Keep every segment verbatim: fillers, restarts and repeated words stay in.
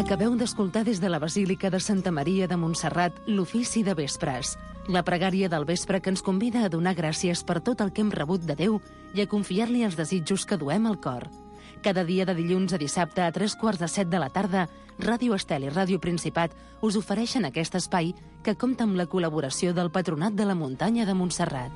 Acabeu d'escoltar des de la Basílica de Santa Maria de Montserrat l'ofici de vespres, la pregària del vespre que ens convida a donar gràcies per tot el que hem rebut de Déu i a confiar-li els desitjos que duem al cor. Cada dia de dilluns a dissabte a tres quarts de set de la tarda, Ràdio Estel i Ràdio Principat us ofereixen aquest espai que compta amb la col·laboració del Patronat de la Muntanya de Montserrat.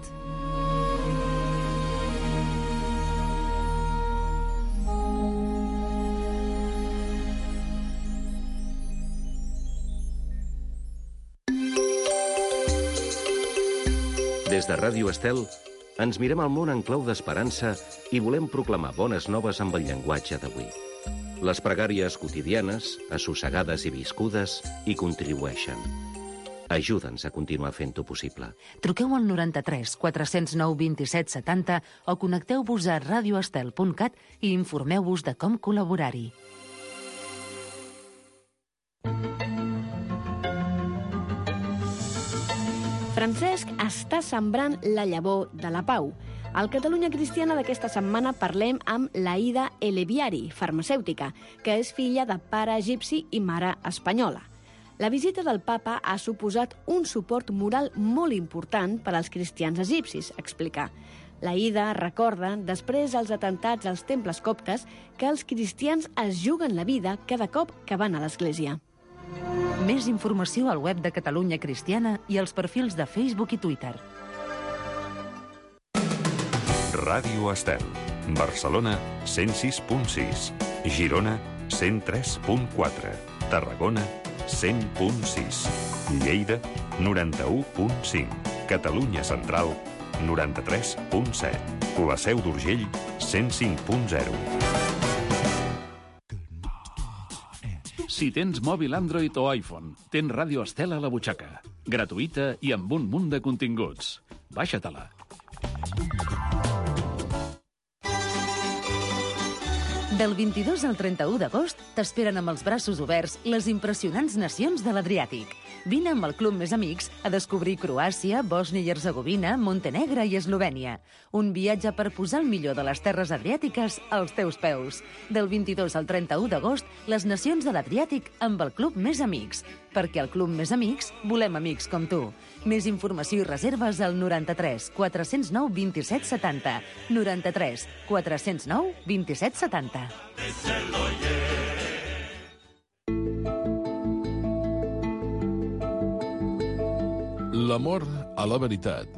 Des de Ràdio Estel, ens mirem al món en clau d'esperança i volem proclamar bones noves amb el llenguatge d'avui. Les pregàries quotidianes, assossegades i viscudes, hi contribueixen. Ajuda'ns a continuar fent-ho possible. Truqueu al noranta-tres quatre cents nou vint-i-set setanta o connecteu-vos a radioestel punt cat i informeu-vos de com col·laborar-hi. Francesc està sembrant la llavor de la pau. Al Catalunya Cristiana d'aquesta setmana parlem amb l'Aïda Eleviari, farmacèutica, que és filla de pare egipci i mare espanyola. La visita del papa ha suposat un suport moral molt important per als cristians egipcis, explica. L'Aïda recorda, després dels atentats als temples coptes, que els cristians es juguen la vida cada cop que van a l'església. Més informació al web de Catalunya Cristiana i als perfils de Facebook i Twitter. Ràdio Estel. Barcelona, cent sis punt sis. Girona, cent tres punt quatre. Tarragona, cent punt sis. Lleida, noranta-u punt cinc. Catalunya Central, noranta-tres punt set. La Seu d'Urgell, cent cinc punt zero. Si tens mòbil Android o iPhone, tens Ràdio Estel a la butxaca. Gratuïta i amb un munt de continguts. Baixa-te-la. Del vint-i-dos al trenta-u d'agost t'esperen amb els braços oberts les impressionants nacions de l'Adriàtic. Vine amb el Club Més Amics a descobrir Croàcia, Bòsnia i Hercegovina, Montenegro i Eslovènia. Un viatge per posar el millor de les terres adriàtiques als teus peus. Del vint-i-dos al trenta-u d'agost, les nacions de l'Adriàtic amb el Club Més Amics. Perquè al Club Més Amics volem amics com tu. Més informació i reserves al noranta-tres quatre cents nou vint-i-set setanta. noranta-tres quatre cents nou vint-i-set setanta. L'amor a la veritat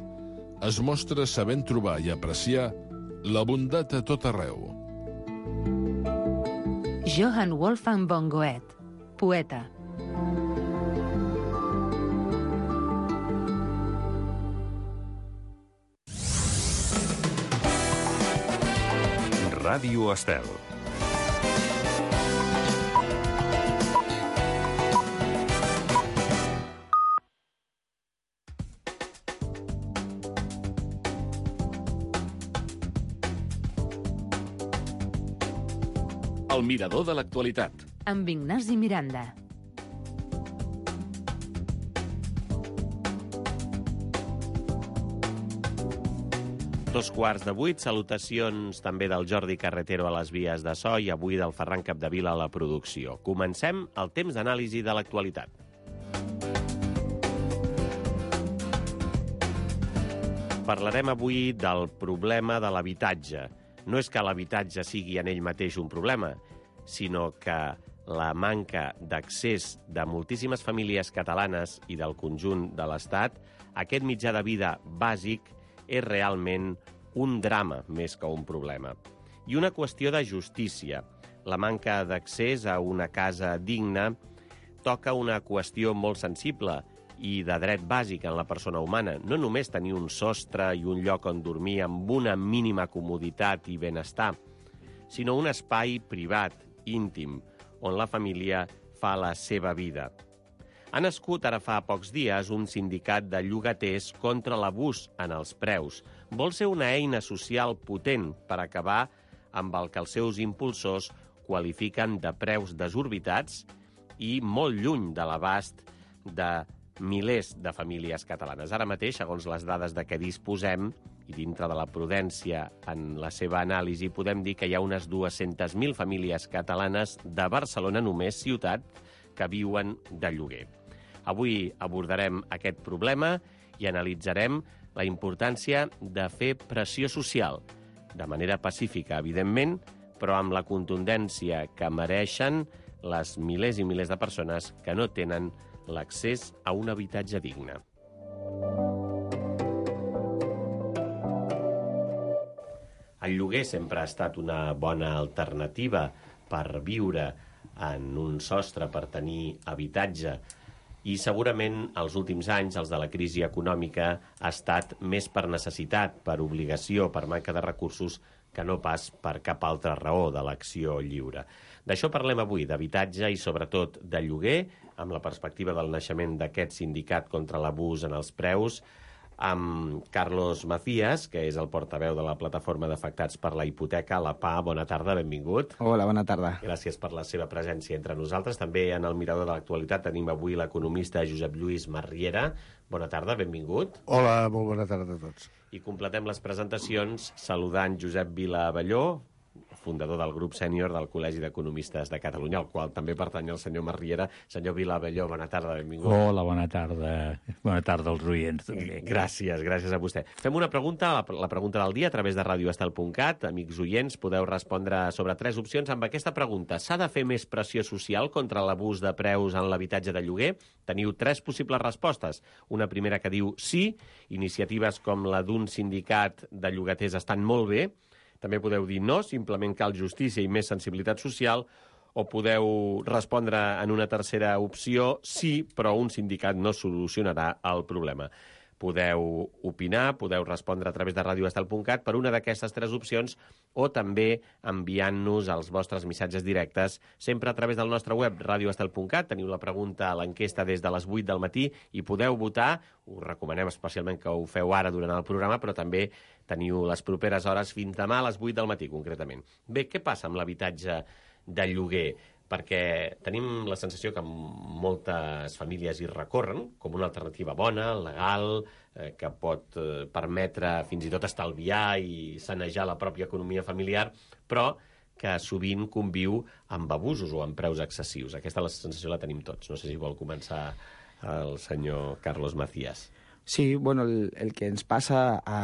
es mostra sabent trobar i apreciar la bondat a tot arreu. Johann Wolfgang von Goethe, poeta. Ràdio Estel. El mirador de l'actualitat. Amb Ignasi Miranda. Dos quarts de vuit, salutacions també del Jordi Carretero a les vies de so i avui del Ferran Capdevila a la producció. Comencem el temps d'anàlisi de l'actualitat. Parlarem avui del problema de l'habitatge. No és que l'habitatge sigui en ell mateix un problema, sinó que la manca d'accés de moltíssimes famílies catalanes i del conjunt de l'Estat a aquest mitjà de vida bàsic és realment un drama més que un problema. I una qüestió de justícia. La manca d'accés a una casa digna toca una qüestió molt sensible i de dret bàsic en la persona humana. No només tenir un sostre i un lloc on dormir amb una mínima comoditat i benestar, sinó un espai privat, íntim, on la família fa la seva vida. Ha nascut ara fa pocs dies un sindicat de llogaters contra l'abús en els preus. Vol ser una eina social potent per acabar amb el que els seus impulsors qualifiquen de preus desorbitats i molt lluny de l'abast de milers de famílies catalanes. Ara mateix, segons les dades de què disposem, i dintre de la prudència en la seva anàlisi, podem dir que hi ha unes dues-centes mil famílies catalanes de Barcelona, només ciutat, que viuen de lloguer. Avui abordarem aquest problema i analitzarem la importància de fer pressió social, de manera pacífica, evidentment, però amb la contundència que mereixen les milers i milers de persones que no tenen l'accés a un habitatge digne. El lloguer sempre ha estat una bona alternativa per viure en un sostre, per tenir habitatge, i segurament els últims anys, els de la crisi econòmica, ha estat més per necessitat, per obligació, per manca de recursos, que no pas per cap altra raó de l'acció lliure. D'això parlem avui, d'habitatge i sobretot de lloguer, amb la perspectiva del naixement d'aquest sindicat contra l'abús en els preus, amb Carlos Macías, que és el portaveu de la plataforma d'afectats per la hipoteca, la P A. Bona tarda, benvingut. Hola, bona tarda. Gràcies per la seva presència entre nosaltres. També en el Mirador de l'Actualitat tenim avui l'economista Josep Lluís Marriera. Bona tarda, benvingut. Hola, molt bona tarda a tots. I completem les presentacions saludant Josep Vila Abelló, fundador del grup sènior del Col·legi d'Economistes de Catalunya, al qual també pertany el senyor Marriera. Senyor Vila Abelló, bona tarda, benvingut. Hola, bona tarda. Bona tarda als oients, també. Gràcies, gràcies a vostè. Fem una pregunta, la, la pregunta del dia, a través de radio estel punt cat. Amics oients, podeu respondre sobre tres opcions amb aquesta pregunta. S'ha de fer més pressió social contra l'abús de preus en l'habitatge de lloguer? Teniu tres possibles respostes. Una primera que diu sí, iniciatives com la d'un sindicat de llogaters estan molt bé. També podeu dir no, simplement cal justícia i més sensibilitat social, o podeu respondre en una tercera opció sí, però un sindicat no solucionarà el problema. Podeu opinar, podeu respondre a través de radio estel punt cat per una d'aquestes tres opcions o també enviant-nos els vostres missatges directes sempre a través del nostre web, radio estel punt cat. Teniu la pregunta a l'enquesta des de les vuit del matí i podeu votar. Us recomanem especialment que ho feu ara durant el programa, però també teniu les properes hores fins demà a les vuit del matí, concretament. Bé, què passa amb l'habitatge de lloguer? Perquè tenim la sensació que moltes famílies hi recorren com una alternativa bona, legal, eh, que pot eh, permetre fins i tot estalviar i sanejar la pròpia economia familiar, però que sovint conviu amb abusos o amb preus excessius. Aquesta la sensació la tenim tots. No sé si vol començar el senyor Carlos Macías. Sí, bueno, el, el que ens passa a,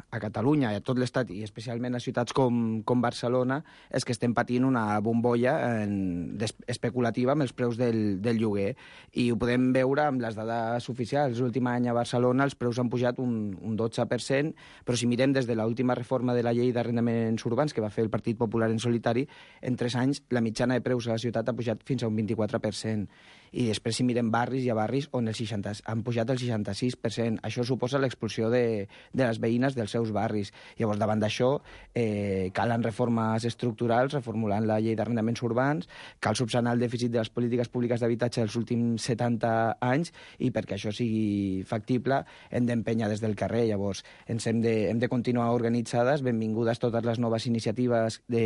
a Catalunya i a tot l'Estat, i especialment a ciutats com, com Barcelona, és que estem patint una bombolla en, des, especulativa amb els preus del, del lloguer. I ho podem veure amb les dades oficials. L'últim any a Barcelona els preus han pujat un, un dotze per cent, però si mirem des de l'última reforma de la llei d'arrendaments urbans que va fer el Partit Popular en solitari, en tres anys la mitjana de preus a la ciutat ha pujat fins a un vint-i-quatre per cent. I després si mirem barris, hi ha barris on el seixanta, han pujat el seixanta-sis per cent. Això suposa l'expulsió de, de les veïnes dels seus barris. Llavors, davant d'això, eh, calen reformes estructurals, reformulant la llei d'arrendaments urbans, cal subsanar el dèficit de les polítiques públiques d'habitatge dels últims setanta anys, i perquè això sigui factible hem d'empènyer des del carrer. Llavors, ens hem de, hem de continuar organitzades. Benvingudes totes les noves iniciatives de,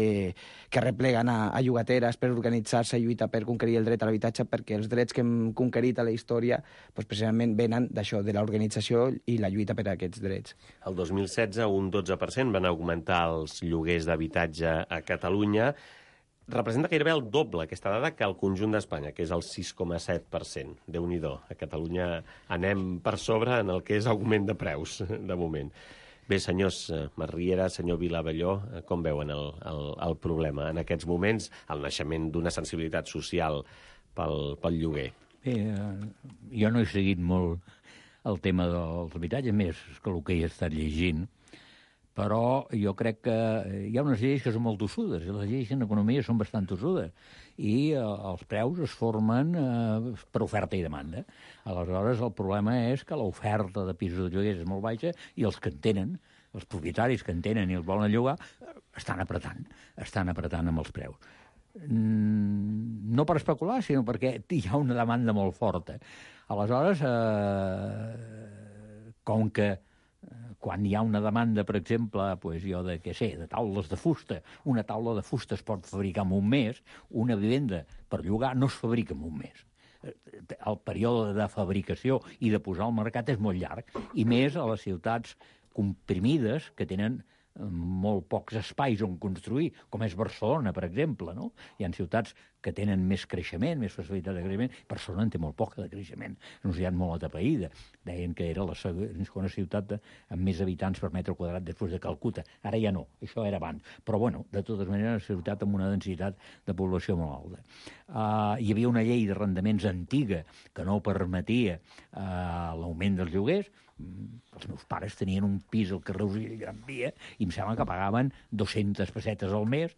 que repleguen a, a llogateres per organitzar-se i lluitar per conquerir el dret a l'habitatge, perquè els drets que hem conquerit a la història doncs precisament venen d'això, de l'organització i la lluita per a aquests drets. El dos mil setze, un dotze per cent van augmentar els lloguers d'habitatge a Catalunya. Representa gairebé el doble aquesta dada que el conjunt d'Espanya, que és el sis coma set per cent. Déu-n'hi-do. A Catalunya anem per sobre en el que és augment de preus, de moment. Bé, senyors Marriera, senyor Vila Abelló, com veuen el, el, el problema en aquests moments, el naixement d'una sensibilitat social pel, pel lloguer? Bé, jo no he seguit molt el tema dels habitatges, més que el que he estat llegint, però jo crec que hi ha unes lleis que són molt tossudes, i les lleis en economia són bastant tossudes, i eh, els preus es formen eh, per oferta i demanda. Aleshores, el problema és que l'oferta de pisos de lloguers és molt baixa i els que en tenen, els propietaris que en tenen i els volen llogar, estan apretant, estan apretant amb els preus. No per especular, sinó perquè hi ha una demanda molt forta. Aleshores, eh, com que quan hi ha una demanda, per exemple, pues jo de, què sé, de taules de fusta, una taula de fusta es pot fabricar en un mes, una vivenda per llogar no es fabrica en un mes. el període de fabricació i de posar al mercat és molt llarg, i més a les ciutats comprimides que tenen molt pocs espais on construir, com és Barcelona, per exemple, no? Hi ha ciutats que tenen més creixement, més facilitat de creixement. Barcelona en té molt poca de creixement. És una ciutat molt atapeïda. Deien que era la segona ciutat de, amb més habitants per metre quadrat després de Calcuta. Ara ja no, això era abans. Però, bueno, de totes maneres, una ciutat amb una densitat de població molt alta. Uh, hi havia una llei d'arrendaments antiga que no permetia uh, l'augment dels lloguers. Els meus pares tenien un pis al carrer Urgell Gran Via i em sembla que pagaven dues-centes pessetes al mes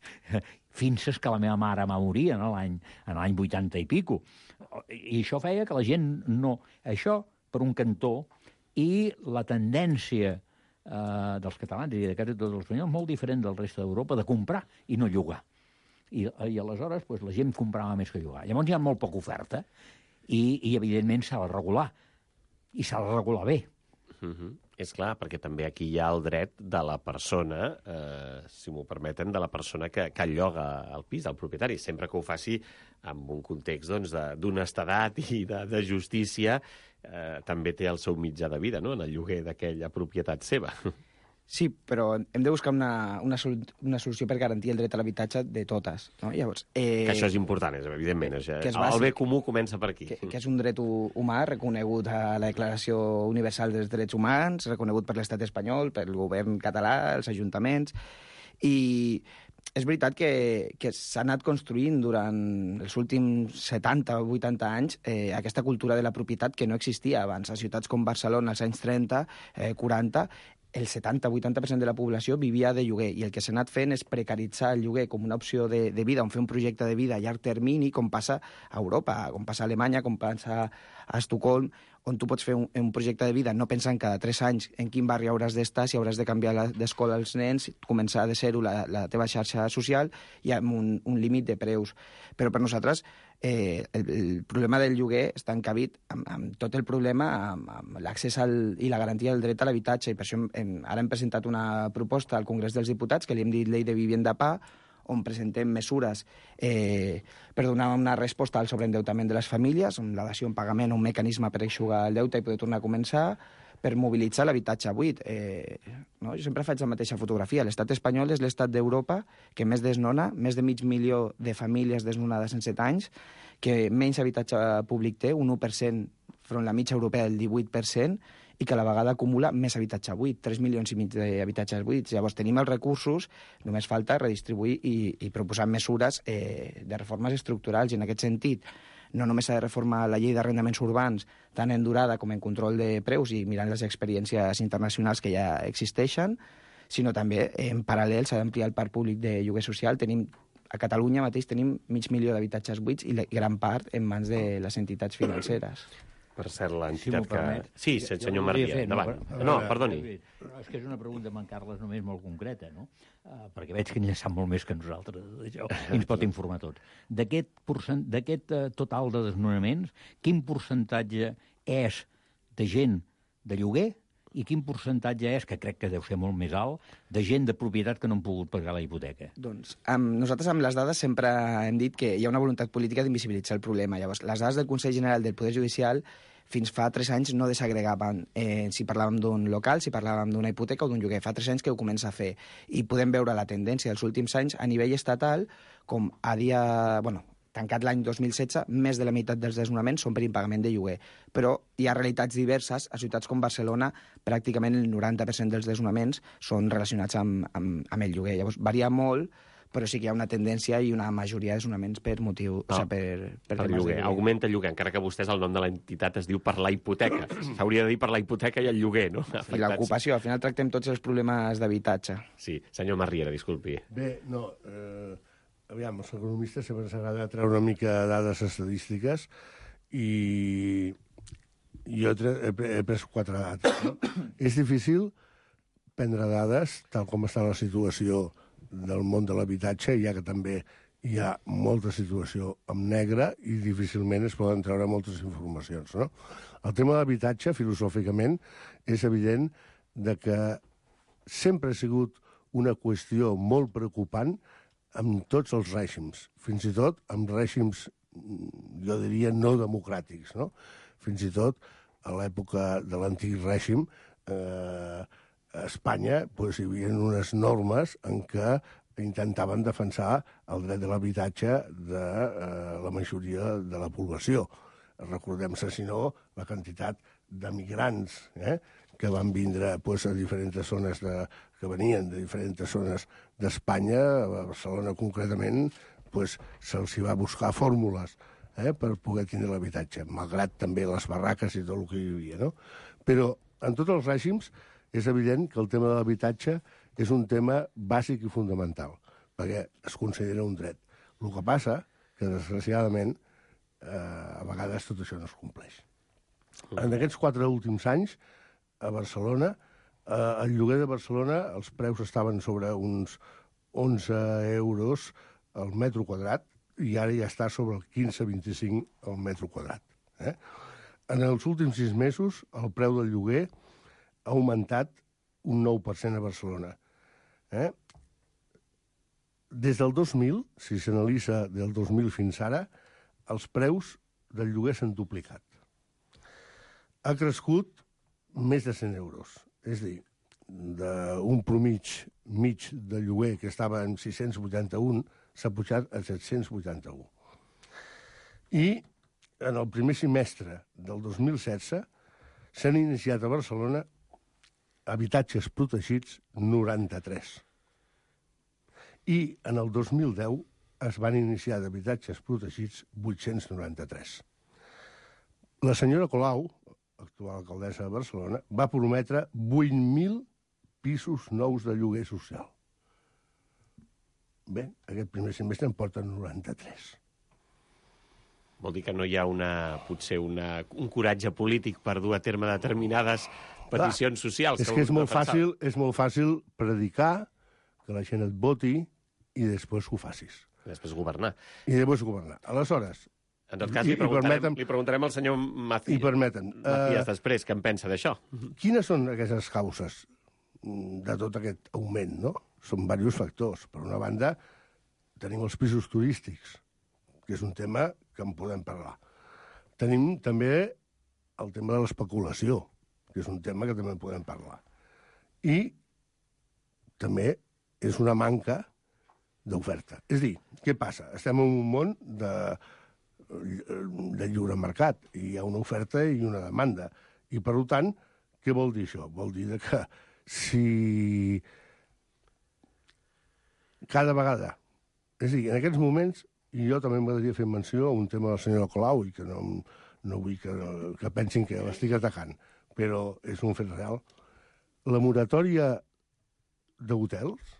fins que la meva mare va morir en l'any en l'any vuitanta i pico. I això feia que la gent no... Això, per un cantó, i la tendència eh, dels catalans i de quasi tots els espanyols, molt diferent del reste d'Europa, de comprar i no llogar. I, i aleshores pues, la gent comprava més que llogar. Llavors hi ha molt poca oferta i, i evidentment, s'ha de regular. I s'ha de regular bé. Uh-huh. És clar, perquè també aquí hi ha el dret de la persona, eh, si m'ho permeten, de la persona que, que lloga el pis, del propietari, sempre que ho faci en un context doncs, d'honestedat i de, de justícia, eh, també té el seu mitjà de vida, no?, en el lloguer d'aquella propietat seva. Sí, però hem de buscar una, una, sol, una solució per garantir el dret a l'habitatge de totes. No? Llavors, eh, que això és important, és, evidentment. Això, que és bàsic, el bé comú comença per aquí. Que, que és un dret humà reconegut a la Declaració Universal dels Drets Humans, reconegut per l'estat espanyol, pel govern català, els ajuntaments, i és veritat que, que s'ha anat construint durant els últims setanta o vuitanta anys eh, aquesta cultura de la propietat que no existia abans. A ciutats com Barcelona, als anys trenta, eh, quaranta, el setanta o vuitanta per cent de la població vivia de lloguer, i el que s'ha anat fent és precaritzar el lloguer com una opció de, de vida, on fer un projecte de vida a llarg termini, com passa a Europa, com passa a Alemanya, com passa a Estocolm, on tu pots fer un, un projecte de vida no pensant cada tres anys en quin barri hauràs d'estar, si hauràs de canviar d'escola als nens, començar de zero la, la teva xarxa social i amb un, un límit de preus. Però per nosaltres eh, el, el problema del lloguer està encabit amb, amb tot el problema, amb, amb l'accés i la garantia del dret a l'habitatge, i per això hem, ara hem presentat una proposta al Congrés dels Diputats, que li hem dit Llei de Vivienda P A, on presentem mesures eh, per donar una resposta al sobreendeutament de les famílies, amb la dació en pagament, un mecanisme per eixugar el deute i poder tornar a començar, per mobilitzar l'habitatge buit. Eh, no? Jo sempre faig la mateixa fotografia. L'estat espanyol és l'estat d'Europa que més desnona, més de mig milió de famílies desnonades en set anys, que menys habitatge públic té, un u per cent front la mitja europea del divuit per cent, i que a la vegada acumula més habitatge buit, tres milions i mig d'habitatges buits. Llavors tenim els recursos, només falta redistribuir i, i proposar mesures eh, de reformes estructurals, i en aquest sentit no només s'ha de reformar la llei d'arrendaments urbans, tant en durada com en control de preus i mirant les experiències internacionals que ja existeixen, sinó també en paral·lel s'ha d'ampliar el parc públic de lloguer social. Tenim a Catalunya mateix tenim mig milió d'habitatges buits i la gran part en mans de les entitats financeres. Per cert, l'entitat si que... Sí, jo, senyor jo Maria, fer, endavant. No, no, perdoni. No, és que és una pregunta amb en Carles només molt concreta, no? Uh, perquè veig que ell sap molt més que nosaltres d'això, i ens pot informar tots. D'aquest uh, total de desnonaments, quin percentatge és de gent de lloguer i quin percentatge és, que crec que deu ser molt més alt, de gent de propietat que no han pogut pagar la hipoteca? Doncs amb, nosaltres amb les dades sempre hem dit que hi ha una voluntat política d'invisibilitzar el problema. Llavors, les dades del Consell General del Poder Judicial fins fa tres anys no desagregaven eh, si parlàvem d'un local, si parlàvem d'una hipoteca o d'un lloguer. Fa tres anys que ho comença a fer. I podem veure la tendència dels últims anys a nivell estatal, com a dia... Bueno, tancat l'any dos mil setze, més de la meitat dels desnonaments són per impagament de lloguer. Però hi ha realitats diverses. A ciutats com Barcelona, pràcticament el noranta per cent dels desnonaments són relacionats amb, amb, amb el lloguer. Llavors, varia molt, però sí que hi ha una tendència i una majoria de desnonaments per motiu... No, o sigui, per, per, per lloguer. Augmenta el lloguer, encara que vostès el nom de l'entitat es diu per la hipoteca. S'hauria de dir per la hipoteca i el lloguer, no? I l'ocupació. Al final tractem tots els problemes d'habitatge. Sí. Senyor Marriera, disculpi. Bé, no... Eh... Aviam, els economistes sempre s'agrada treure una mica de dades estadístiques i jo he, he pres quatre dades. No? És difícil prendre dades, tal com està la situació del món de l'habitatge, ja que també hi ha molta situació en negre i difícilment es poden treure moltes informacions. No? El tema de l'habitatge, filosòficament, és evident de que sempre ha sigut una qüestió molt preocupant amb tots els règims, fins i tot amb règims jo diria, no democràtics, no? Fins i tot, a l'època de l'antic règim, eh, a Espanya pues, hi havia unes normes en què intentaven defensar el dret de l'habitatge de eh, la majoria de la població. Recordem-se, si no, la quantitat d'emigrants eh, que van vindre pues, a diferents zones de, que venien de diferents zones d'Espanya, a Barcelona concretament, pues, se'ls va buscar fórmules eh, per poder tindre l'habitatge, malgrat també les barraques i tot el que hi havia. No? Però en tots els règims és evident que el tema de l'habitatge és un tema bàsic i fundamental, perquè es considera un dret. El que passa que, desgraciadament, eh, a vegades tot això no es compleix. En aquests quatre últims anys, a Barcelona, eh, el lloguer de Barcelona, els preus estaven sobre uns onze euros al metre quadrat, i ara ja està sobre el quinze a vint-i-cinc al metre quadrat. Eh? En els últims sis mesos, el preu del lloguer ha augmentat un nou per cent a Barcelona. Eh? Des del dos mil, si s'analitza del dos mil fins ara, els preus del lloguer s'han duplicat. Ha crescut més de cent euros. És a dir, d'un promig mig de lloguer que estava en sis-cents vuitanta-un, s'ha pujat a set-cents vuitanta-un. I en el primer semestre del dos mil setze s'han iniciat a Barcelona habitatges protegits noranta-tres. I en el dos mil deu es van iniciar d'habitatges protegits vuit-cents noranta-tres. La senyora Colau, actual alcaldessa de Barcelona, va prometre vuit mil pisos nous de lloguer social. Bé, aquest primer semestre en porten noranta-tres. Vol dir que no hi ha una, potser una, un coratge polític per dur a terme determinades peticions Clar, socials. És que, que és, molt fàcil, és molt fàcil predicar, que la gent et voti i després ho facis. I després governar. I després governar. Aleshores... En tot cas, li preguntarem, permetem, li preguntarem al senyor Macías, i permeten, Macías uh, després, què en pensa d'això. Quines són aquestes causes de tot aquest augment, no? Són diversos factors. Per una banda, tenim els pisos turístics, que és un tema que en podem parlar. Tenim també el tema de l'especulació, que és un tema que també en podem parlar. I també és una manca d'oferta. És a dir, què passa? Estem en un món de, de lliure mercat, i hi ha una oferta i una demanda. I, per tant, què vol dir això? Vol dir que si cada vegada... És a dir, en aquests moments, i jo també m'agradaria fer menció a un tema de la senyora Colau, i que no, no vull que, que pensin que l'estic atacant, però és un fet real. La moratòria d'hotels,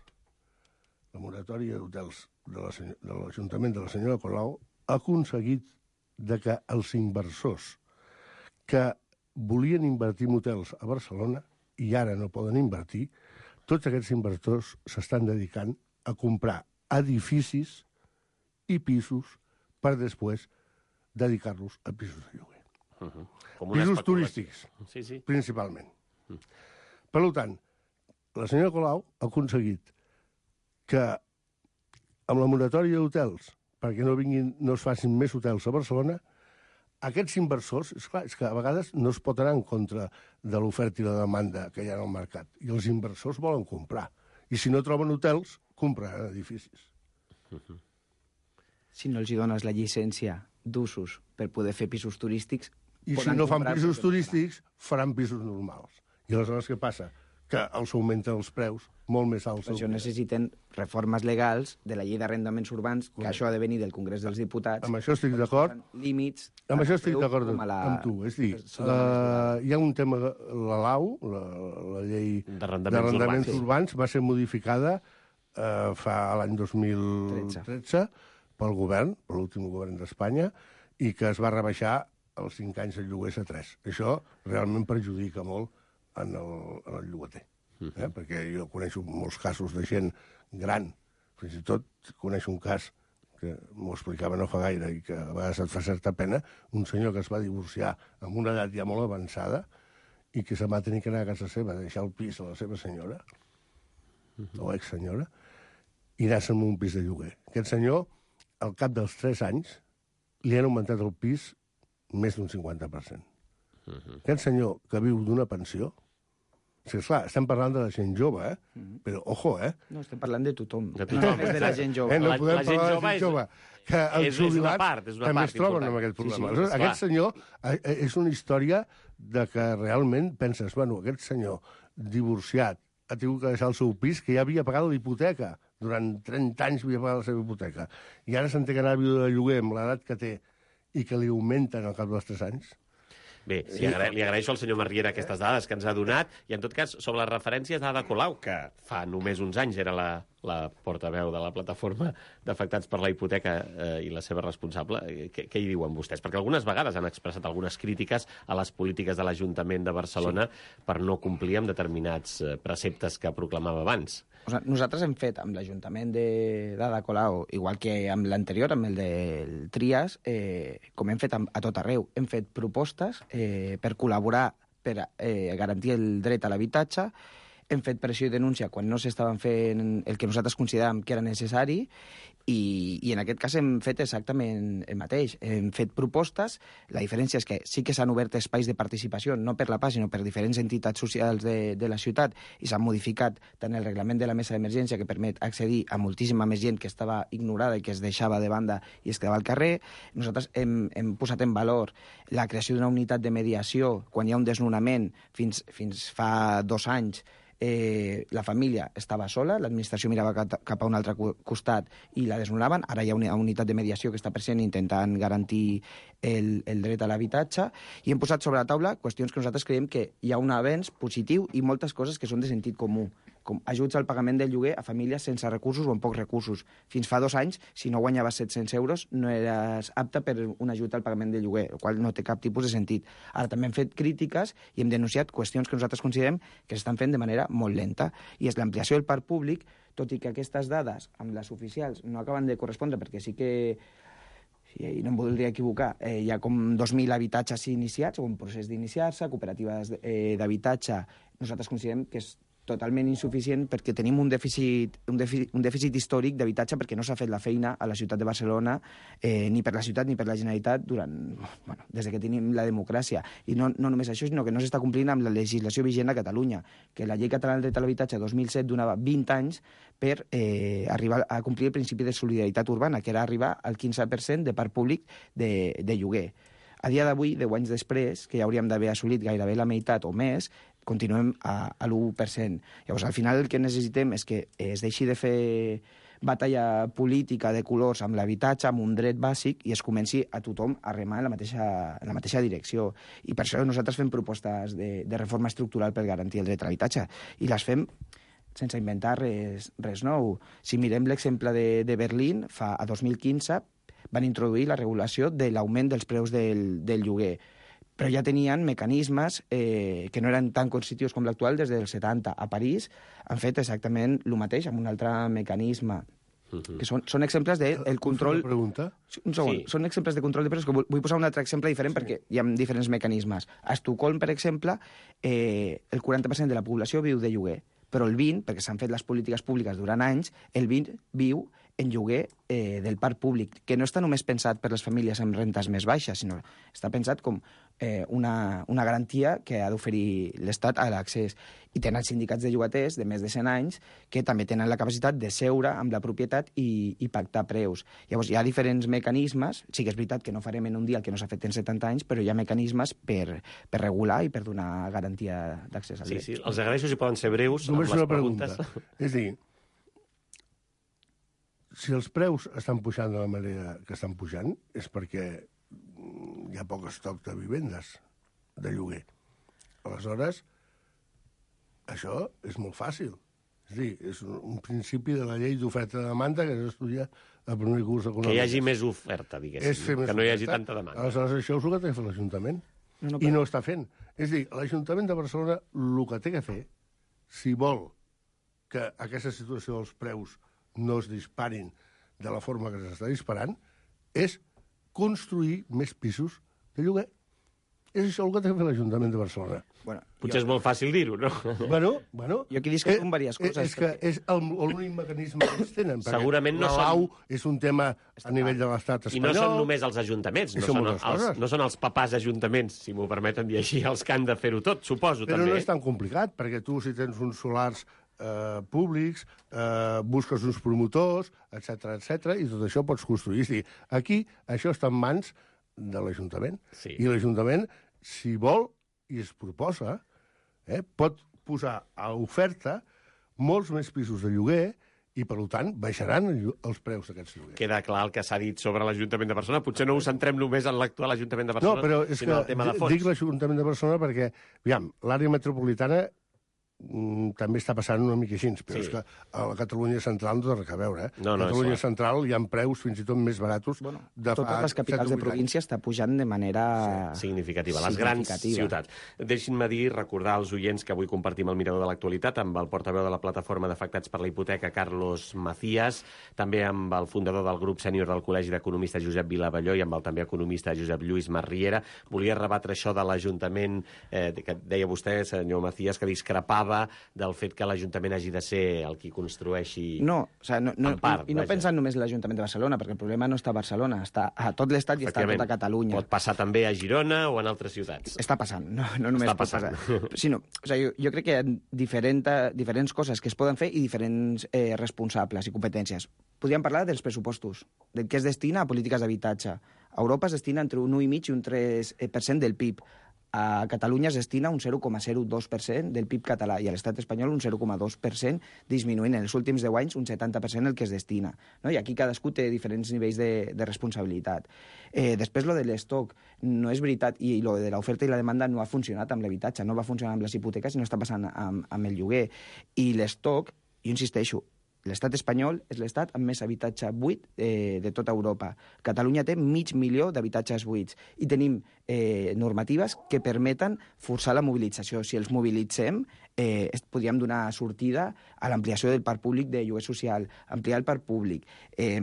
la moratòria d'hotels de l'Ajuntament de la senyora Colau ha aconseguit de que els inversors que volien invertir en hotels a Barcelona i ara no poden invertir, tots aquests inversors s'estan dedicant a comprar edificis i pisos per després dedicar-los a pisos de lloguer. Uh-huh. Pisos turístics, sí, sí. principalment. Uh. Per tant, la senyora Colau ha aconseguit que amb la moratòria d'hotels, perquè no vinguin, no es facin més hotels a Barcelona, aquests inversors, és clar, és que a vegades no es pot anar en contra de l'oferta i la demanda que hi ha al mercat. I els inversors volen comprar. I si no troben hotels, compraran edificis. Uh-huh. Si no els hi dones la llicència d'usos per poder fer pisos turístics... I si no fan pisos turístics, faran pisos normals. I aleshores què passa? Que els augmenten els preus molt més alts. Per això necessiten reformes legals de la llei d'arrendaments urbans, que això ha de venir del Congrés dels Diputats. Amb això estic d'acord. Límits... Amb això estic d'acord la... amb tu. És dir, la... hi ha un tema, la L A U, la, la llei d'arrendaments urbans. urbans, va ser modificada eh, fa l'any dos mil tretze pel govern, per l'últim govern d'Espanya, i que es va rebaixar els cinc anys de lloguers a tres. Això realment perjudica molt en el, en el llogater. Eh? Uh-huh. Perquè jo coneixo molts casos de gent gran, fins i tot coneixo un cas que m'ho explicava no fa gaire i que a vegades et fa certa pena, un senyor que es va divorciar amb una edat ja molt avançada i que se'n va tenir que anar a casa seva, deixar el pis a la seva senyora, uh-huh. o exsenyora, i anar-se'n a un pis de lloguer. Aquest senyor, al cap dels tres anys, li han augmentat el pis més d'un cinquanta per cent. Uh-huh. Aquest senyor que viu d'una pensió... O sigui, esclar, estem parlant de la gent jove, eh? Uh-huh. Però, ojo, eh? No, estem parlant de tothom. De tothom. No, de la gent jove. Eh, no La- podem la gent parlar de la jove gent és- jove. Que els és- és una jubilats part, és una també part es troben important. amb aquest Sí, sí, problema. esclar. Aleshores, aquest senyor eh, eh, és una història de que realment penses, bueno, aquest senyor divorciat ha tingut que deixar el seu pis, que ja havia pagat l'hipoteca. Durant trenta anys havia pagat la seva hipoteca. I ara s'entén que anar a viure de lloguer amb l'edat que té i que li augmenten al cap dels tres anys. Bé, li, agra li agraeixo al senyor Marriera aquestes dades que ens ha donat, i en tot cas, sobre les referències d'Ada Colau, que fa només uns anys era la, la portaveu de la plataforma d'afectats per la hipoteca eh, i la seva responsable, eh, què, què hi diuen vostès? Perquè algunes vegades han expressat algunes crítiques a les polítiques de l'Ajuntament de Barcelona sí. per no complir amb determinats eh, preceptes que proclamava abans. O sigui, nosaltres hem fet amb l'Ajuntament d'Ada Colau, igual que amb l'anterior, amb el del Trias, eh, com hem fet amb, a tot arreu, hem fet propostes eh, per col·laborar, per eh, garantir el dret a l'habitatge, hem fet pressió i denúncia quan no s'estaven fent el que nosaltres consideràvem que era necessari i, i en aquest cas hem fet exactament el mateix. Hem fet propostes, la diferència és que sí que s'han obert espais de participació, no per la P A, sinó per diferents entitats socials de, de la ciutat, i s'han modificat tant el reglament de la mesa d'emergència, que permet accedir a moltíssima més gent que estava ignorada i que es deixava de banda i es quedava al carrer. Nosaltres hem, hem posat en valor la creació d'una unitat de mediació quan hi ha un desnonament. Fins, fins fa dos anys Eh, la família estava sola, l'administració mirava cap a un altre costat i la desnonaven. Ara hi ha una unitat de mediació que està present intentant garantir el, el dret a l'habitatge, i hem posat sobre la taula qüestions que nosaltres creiem que hi ha un avenç positiu i moltes coses que són de sentit comú, com ajuts al pagament del lloguer a famílies sense recursos o amb pocs recursos. Fins fa dos anys, si no guanyaves set-cents euros, no eres apte per un ajut al pagament del lloguer, el qual no té cap tipus de sentit. Ara també hem fet crítiques i hem denunciat qüestions que nosaltres considerem que s'estan fent de manera molt lenta, i és l'ampliació del parc públic, tot i que aquestes dades amb les oficials no acaben de correspondre, perquè sí que, i no em voldria equivocar, eh, hi ha com dos mil habitatges iniciats, o un procés d'iniciar-se, cooperatives eh, d'habitatge. Nosaltres considerem que és totalment insuficient perquè tenim un dèficit, un dèficit, un dèficit històric d'habitatge, perquè no s'ha fet la feina a la ciutat de Barcelona, eh, ni per la ciutat ni per la Generalitat, durant, bueno, des que tenim la democràcia. I no, no només això, sinó que no s'està complint amb la legislació vigent a Catalunya, que la llei catalana del dret a l'habitatge dos mil set donava vint anys per eh, arribar a complir el principi de solidaritat urbana, que era arribar al quinze per cent de parc públic de, de lloguer. A dia d'avui, deu anys després, que ja hauríem d'haver assolit gairebé la meitat o més, continuem a, a l'u per cent. Llavors, al final el que necessitem és que es deixi de fer batalla política de colors amb l'habitatge, amb un dret bàsic, i es comenci a tothom a remar en la mateixa, en la mateixa direcció. I per això nosaltres fem propostes de, de reforma estructural per garantir el dret a l'habitatge. I les fem sense inventar res, res nou. Si mirem l'exemple de, de Berlín, fa, a dos mil quinze van introduir la regulació de l'augment dels preus del, del lloguer, però ja tenien mecanismes eh, que no eren tan constitutius com l'actual des dels setanta. A París han fet exactament el mateix, amb un altre mecanisme. Uh-huh. Que són, són exemples del de, control... Una pregunta? Un segon. Sí. Són exemples de control de preus, que vull, vull posar un altre exemple diferent, sí, perquè hi ha diferents mecanismes. A Estocolm, per exemple, eh, el quaranta per cent de la població viu de lloguer, però el vint, perquè s'han fet les polítiques públiques durant anys, el vint viu en lloguer eh, del parc públic, que no està només pensat per les famílies amb rentes més baixes, sinó està pensat com eh, una, una garantia que ha d'oferir l'Estat a l'accés. I tenen sindicats de llogaters de més de cent anys que també tenen la capacitat de seure amb la propietat i, i pactar preus. Llavors, hi ha diferents mecanismes, sí que és veritat que no farem en un dia el que no s'ha fet en setanta anys, però hi ha mecanismes per, per regular i per donar garantia d'accés al sí, dret. Sí, els agraeixo si poden ser breus Només amb les una preguntes. Pregunta. És a dir, si els preus estan pujant de la manera que estan pujant, és perquè hi ha poc estoc de vivendes de lloguer. Aleshores, això és molt fàcil. És a dir, és un principi de la llei d'oferta de demanda que s'estudia al primer curs econòmic. Que hi hagi més oferta, diguéssim, que no hi hagi tanta demanda. Aleshores, això és el que té que fer l'Ajuntament. No, no, I no està fent. És a dir, l'Ajuntament de Barcelona el que té que fer, si vol que aquesta situació dels preus no es disparin de la forma que s'està disparant, és construir més pisos de lloguer. és això el que té que fer l'Ajuntament de Barcelona. Bueno, Potser és molt fàcil dir-ho, no? Bueno, bueno... Jo aquí discrepo en diverses coses. És que és l'únic mecanisme que ells tenen. Segurament no la són... Lau és un tema a nivell de l'estat espanyol. I no són només els ajuntaments, no són, els, no són els papàs ajuntaments, si m'ho permeten dir així, els que han de fer-ho tot, suposo, Però també. no és tan complicat, perquè tu, si tens uns solars eh, públics, eh, busques uns promotors, etcètera, etcètera, i tot això pots construir. És dir, aquí això està en mans de l'Ajuntament. Sí. I l'Ajuntament, si vol i es proposa, eh, pot posar a oferta molts més pisos de lloguer i, per tant, baixaran els preus d'aquests lloguers. Queda clar el que s'ha dit sobre l'Ajuntament de Barcelona. Potser no us centrem només en l'actual Ajuntament de Barcelona, no, però és sinó que el tema de fons. Dic l'Ajuntament de Barcelona perquè, aviam, l'àrea metropolitana mm, també està passant una mica així, però Sí. és que a la Catalunya central no té res a veure. Eh? No, no, a Catalunya és clar. central hi ha preus fins i tot més baratos Bueno, de fa totes les capitals de set o vuit província està pujant de manera... Significativa, les grans significativa. ciutats. Deixin-me dir, recordar als oients que avui compartim el mirador de l'actualitat amb el portaveu de la plataforma d'afectats per la hipoteca, Carlos Macías, també amb el fundador del grup sènior del Col·legi d'Economistes, Josep Vilavelló, i amb el també economista Josep Lluís Marriera. Volia rebatre això de l'Ajuntament, eh, que deia vostè, senyor Macías, que discrepava del fet que l'Ajuntament hagi de ser el qui construeixi... No, o sea, no, no, en part, i no vaja. pensant només en l'Ajuntament de Barcelona, perquè el problema no està a Barcelona, està a tot l'Estat i està a tota Catalunya. Pot passar també a Girona o en altres ciutats. Està passant, no, no només Està pot passant. passar. Sinó, o sea, jo, jo crec que hi ha diferent, diferents coses que es poden fer i diferents eh, responsables i competències. Podríem parlar dels pressupostos, del que es destina a polítiques d'habitatge. A Europa es destina entre un u coma cinc i un tres per cent del P I B. A Catalunya es destina un zero coma zero dos per cent del P I B català i a l'estat espanyol un zero coma dos per cent, disminuint en els últims deu anys un setanta per cent el que es destina. No? I aquí cadascú té diferents nivells de, de responsabilitat. Eh, després, lo de l'estoc, no és veritat, i lo de l'oferta i la demanda no ha funcionat amb l'habitatge, no va funcionar amb les hipoteques i no està passant amb, amb el lloguer. I l'estoc, jo insisteixo, l'estat espanyol és l'estat amb més habitatge buit eh, de tota Europa. Catalunya té mig milió d'habitatges buits i tenim eh, normatives que permeten forçar la mobilització. Si els mobilitzem, eh, podríem donar sortida a l'ampliació del parc públic de lloguer social, ampliar el parc públic. Eh,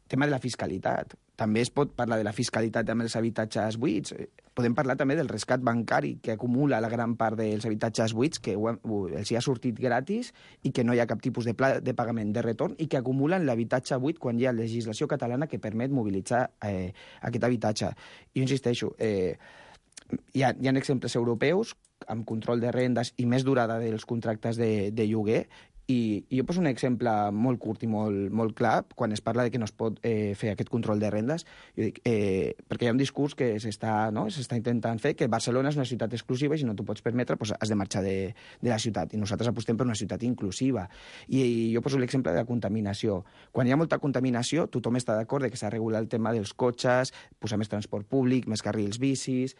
tema de la fiscalitat. També es pot parlar de la fiscalitat amb els habitatges buits. Podem parlar també del rescat bancari que acumula la gran part dels habitatges buits, que els hi ha sortit gratis i que no hi ha cap tipus de pla de pagament de retorn i que acumulen l'habitatge buit quan hi ha legislació catalana que permet mobilitzar eh, aquest habitatge. Jo insisteixo, eh, hi ha, hi ha exemples europeus amb control de rendes i més durada dels contractes de, de lloguer. I, i jo poso un exemple molt curt i molt, molt clar, quan es parla de que no es pot eh, fer aquest control de rendes, jo dic, eh, perquè hi ha un discurs que s'està no? s'està intentant fer, que Barcelona és una ciutat exclusiva i si no t'ho pots permetre doncs has de marxar de, de la ciutat. I nosaltres apostem per una ciutat inclusiva. I, i jo poso l'exemple de la contaminació. Quan hi ha molta contaminació, tothom està d'acord que s'ha de regular el tema dels cotxes, posar més transport públic, més carrils bicis...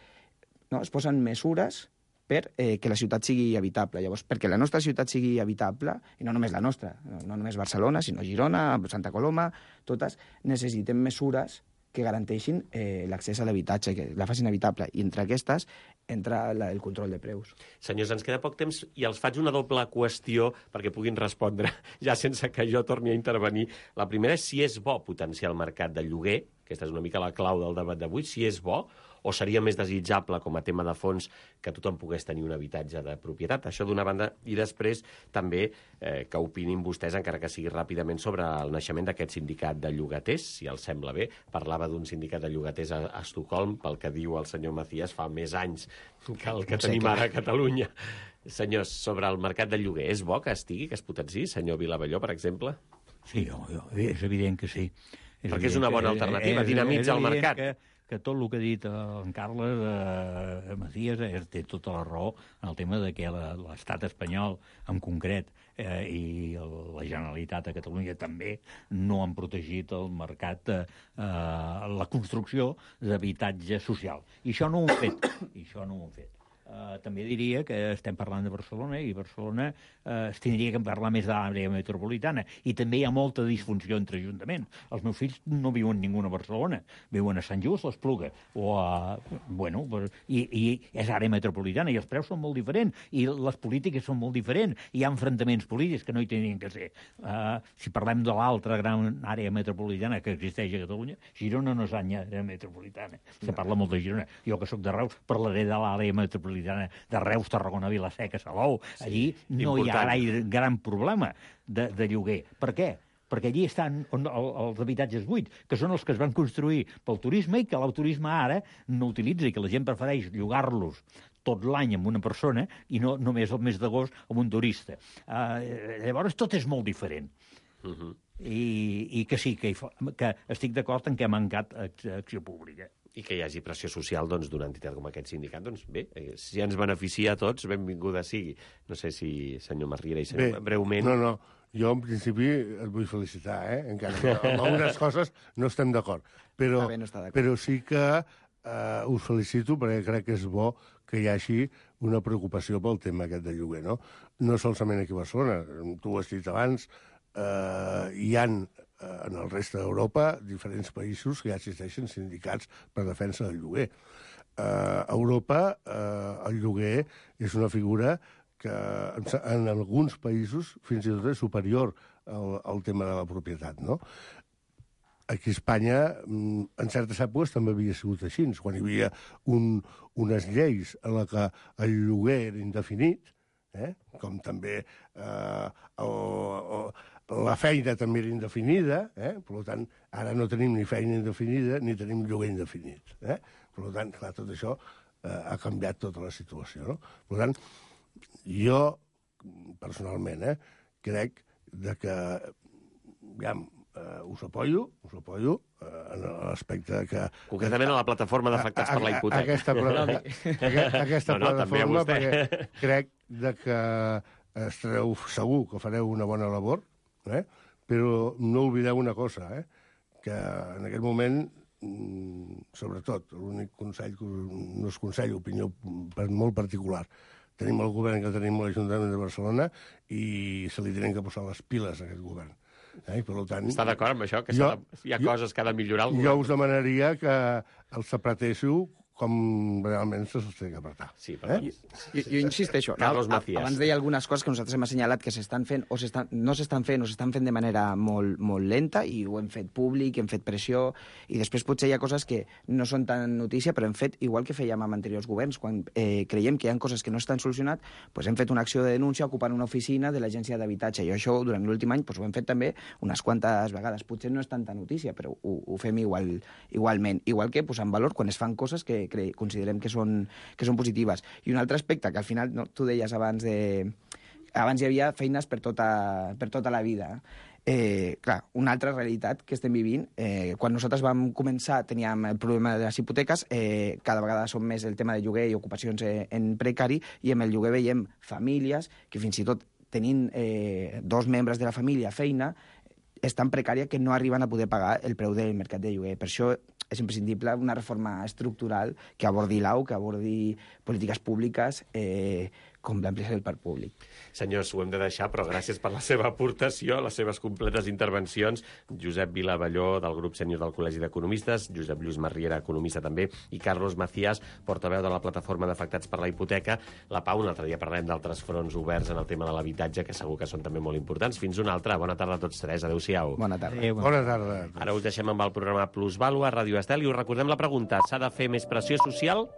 No? Es posen mesures per eh, que la ciutat sigui habitable. Llavors, perquè la nostra ciutat sigui habitable, i no només la nostra, no, no només Barcelona, sinó Girona, Santa Coloma, totes, necessitem mesures que garanteixin eh, l'accés a l'habitatge, que la facin habitable. I entre aquestes entra la, el control de preus. Senyors, ens queda poc temps i els faig una doble qüestió perquè puguin respondre, ja sense que jo torni a intervenir. La primera és si és bo potenciar el mercat de lloguer, aquesta és una mica la clau del debat d'avui, si és bo, o seria més desitjable com a tema de fons que tothom pogués tenir un habitatge de propietat. Això d'una banda, i després també eh, que opinin vostès, encara que sigui ràpidament, sobre el naixement d'aquest sindicat de llogaters, si els sembla bé. Parlava d'un sindicat de llogaters a, a Estocolm, pel que diu el senyor Macías, fa més anys que el que tenim ara a Catalunya. Senyors, sobre el mercat de lloguer, és bo que estigui, que es potenciï, senyor Vilavelló, per exemple? Sí, jo, jo, és evident que sí. És Perquè és una bona alternativa, dinamitza el mercat. Que, que tot el que ha dit en Carles eh, Macías eh, té tota la raó en el tema de que l'estat espanyol, en concret, eh, i el, la Generalitat a Catalunya també no han protegit el mercat, eh, la construcció d'habitatge social. I això no ho han fet. I això no ho han fet. Uh, també diria que estem parlant de Barcelona i Barcelona uh, es tindria que parlar més de l'àrea metropolitana i també hi ha molta disfunció entre ajuntaments. Els meus fills no viuen ningú a Barcelona, viuen a Sant Just, a l'Espluga, o a... Bueno, i, i és àrea metropolitana i els preus són molt diferents i les polítiques són molt diferents. Hi ha enfrontaments polítics que no hi tenien que ser. Uh, si parlem de l'altra gran àrea metropolitana que existeix a Catalunya, Girona no és àrea metropolitana. Se parla molt de Girona. Jo, que sóc de Reus, parlaré de l'àrea metropolitana de Reus, Tarragona, Vilaseca, Salou. Allí sí, no important. Hi ha gaire gran problema de, de lloguer. Per què? Perquè allí estan on, el, els habitatges buits, que són els que es van construir pel turisme i que el turisme ara no utilitza i que la gent prefereix llogar-los tot l'any amb una persona i no només el mes d'agost amb un turista. Uh, llavors tot és molt diferent. Uh -huh. I, i que sí, que, que estic d'acord en que ha mancat acció pública. I que hi hagi pressió social doncs, d'una entitat com aquest sindicat, doncs bé, si ens beneficia a tots, benvinguda sigui. No sé si senyor Masriera i senyor, bé, breument... No, no, jo en principi et vull felicitar, eh? Encara que amb algunes coses no estem d'acord. Però, bé, no però sí que eh, us felicito perquè crec que és bo que hi hagi una preocupació pel tema aquest de lloguer, no? No solament aquí a Barcelona, tu ho has dit abans, eh, hi ha en el reste d'Europa diferents països que ja existeixen sindicats per defensa del lloguer. Eh, a Europa eh, el lloguer és una figura que en alguns països fins i tot és superior al, al tema de la propietat, no? Aquí a Espanya, en certes èpoques, també havia sigut així. Quan hi havia un, unes lleis en la que el lloguer era indefinit, eh? Com també eh, el, el, la feina també era indefinida, eh? Per tant, ara no tenim ni feina indefinida ni tenim lloguer indefinit. Eh? Per tant, clar, tot això eh, ha canviat tota la situació. No? Per tant, jo, personalment, eh, crec de que, ja, eh, us apoyo, us apoyo eh, en l'aspecte que... Concretament a la plataforma d'afectats per la hipoteca. Aquesta, aquesta, aquesta no, no, plataforma, perquè crec de que estareu segur que fareu una bona labor, eh? Però no oblideu una cosa, eh? Que en aquest moment, sobretot, l'únic consell, no és consell, opinió molt particular, tenim el govern que tenim a l'Ajuntament de Barcelona i se li tenen que posar les piles a aquest govern. Eh? Per tant, està d'acord amb això? Que jo, de, hi ha jo, coses que ha de millorar el govern? Jo us demanaria que els apretéssiu com realment se té que apretar. Sí, però... Eh? Jo, jo insisteixo. Carlos Macías. Abans deia algunes coses que nosaltres hem assenyalat que s'estan fent o s'estan, no s'estan fent o s'estan fent de manera molt, molt lenta i ho hem fet públic, hem fet pressió i després potser hi ha coses que no són tan notícia però hem fet igual que fèiem amb anteriors governs. Quan eh, creiem que hi ha coses que no estan solucionat, doncs hem fet una acció de denúncia ocupant una oficina de l'Agència d'Habitatge i això durant l'últim any doncs, ho hem fet també unes quantes vegades. Potser no és tanta notícia però ho, ho fem igual, igualment. Igual que posar en valor quan es fan coses que considerem que són, que són positives. I un altre aspecte, que al final, no, tu deies abans de... Abans hi havia feines per tota, per tota la vida. Eh, clar, una altra realitat que estem vivint, eh, quan nosaltres vam començar teníem el problema de les hipoteques, eh, cada vegada són més el tema de lloguer i ocupacions eh, en precari, i amb el lloguer veiem famílies que fins i tot tenint eh, dos membres de la família feina, és tan precària que no arriben a poder pagar el preu del mercat de lloguer. Per això és imprescindible una reforma estructural que abordi l'A U, que abordi polítiques públiques eh, com l'ampliació del parc públic. Senyors, ho hem de deixar, però gràcies per la seva aportació, les seves completes intervencions. Josep Vilavalló, del grup sènior del Col·legi d'Economistes, Josep Lluís Masriera, economista també, i Carlos Macías, portaveu de la plataforma d'afectats per la hipoteca. La Pau, un altre dia parlarem d'altres fronts oberts en el tema de l'habitatge, que segur que són també molt importants. Fins una altra. Bona tarda a tots tres. Adéu-siau. Bona tarda. Adéu, bona tarda. Ara us deixem amb el programa Plusvàlua a Ràdio Estel i us recordem la pregunta. S'ha de fer més pressió social?